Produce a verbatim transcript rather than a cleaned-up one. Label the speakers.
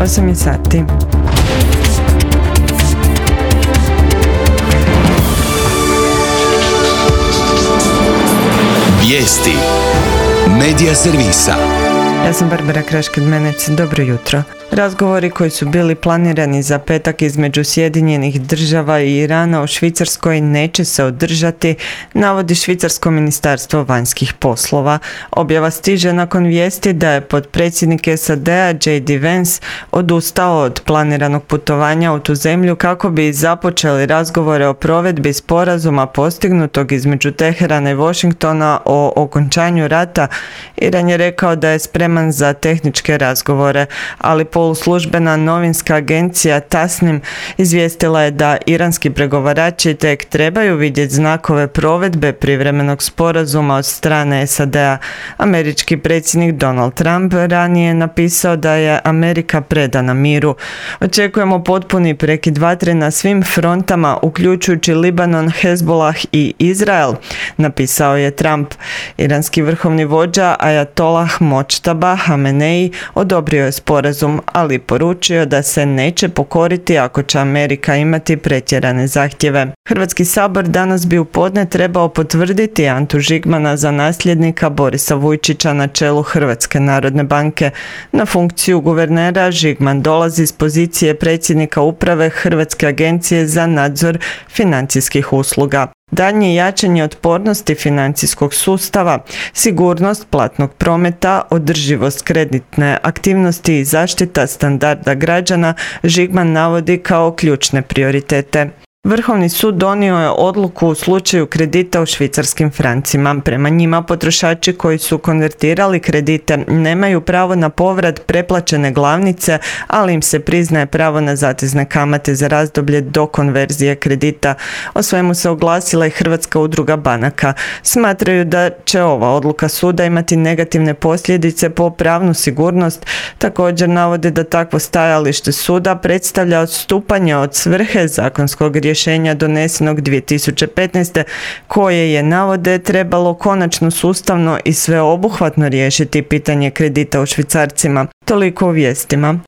Speaker 1: osam je sati.
Speaker 2: Vijesti Medija servisa.
Speaker 1: Ja sam Barbara Krašked-Menec, dobro jutro. Razgovori koji su bili planirani za petak između Sjedinjenih država i Irana u Švicarskoj neće se održati, navodi Švicarsko ministarstvo vanjskih poslova. Objava stiže nakon vijesti da je potpredsjednik S A D-a J D Vance odustao od planiranog putovanja u tu zemlju kako bi započeli razgovore o provedbi sporazuma postignutog između Teherana i Washingtona o okončanju rata. Iran je rekao da je spreman za tehničke razgovore, ali poluslužbena novinska agencija Tasnim izvijestila je da iranski pregovarači tek trebaju vidjeti znakove provedbe privremenog sporazuma od strane S A D-a. Američki predsjednik Donald Trump ranije je napisao da je Amerika predana miru. Očekujemo potpuni prekid vatre na svim frontama, uključujući Libanon, Hezbollah i Izrael, napisao je Trump. Iranski vrhovni vođa Ajatollah Mojtaba Hamenei odobrio je sporazum, ali poručio da se neće pokoriti ako će Amerika imati pretjerane zahtjeve. Hrvatski sabor danas bi u podne trebao potvrditi Antu Žigmana za nasljednika Borisa Vujčića na čelu Hrvatske narodne banke. Na funkciju guvernera Žigman dolazi s pozicije predsjednika uprave Hrvatske agencije za nadzor financijskih usluga. Daljnje jačanje otpornosti financijskog sustava, sigurnost platnog prometa, održivost kreditne aktivnosti i zaštita standarda građana Žigman navodi kao ključne prioritete. Vrhovni sud donio je odluku u slučaju kredita u švicarskim francima. Prema njima potrošači koji su konvertirali kredite nemaju pravo na povrat preplaćene glavnice, ali im se priznaje pravo na zatezne kamate za razdoblje do konverzije kredita. O svemu se oglasila i Hrvatska udruga banaka. Smatraju da će ova odluka suda imati negativne posljedice po pravnu sigurnost. Također navode da takvo stajalište suda predstavlja odstupanje od svrhe zakonskog rješenja rješenja donesenog dvije tisuće petnaeste koje je, navode, trebalo konačno sustavno i sveobuhvatno riješiti pitanje kredita u švicarcima. Toliko u vijestima.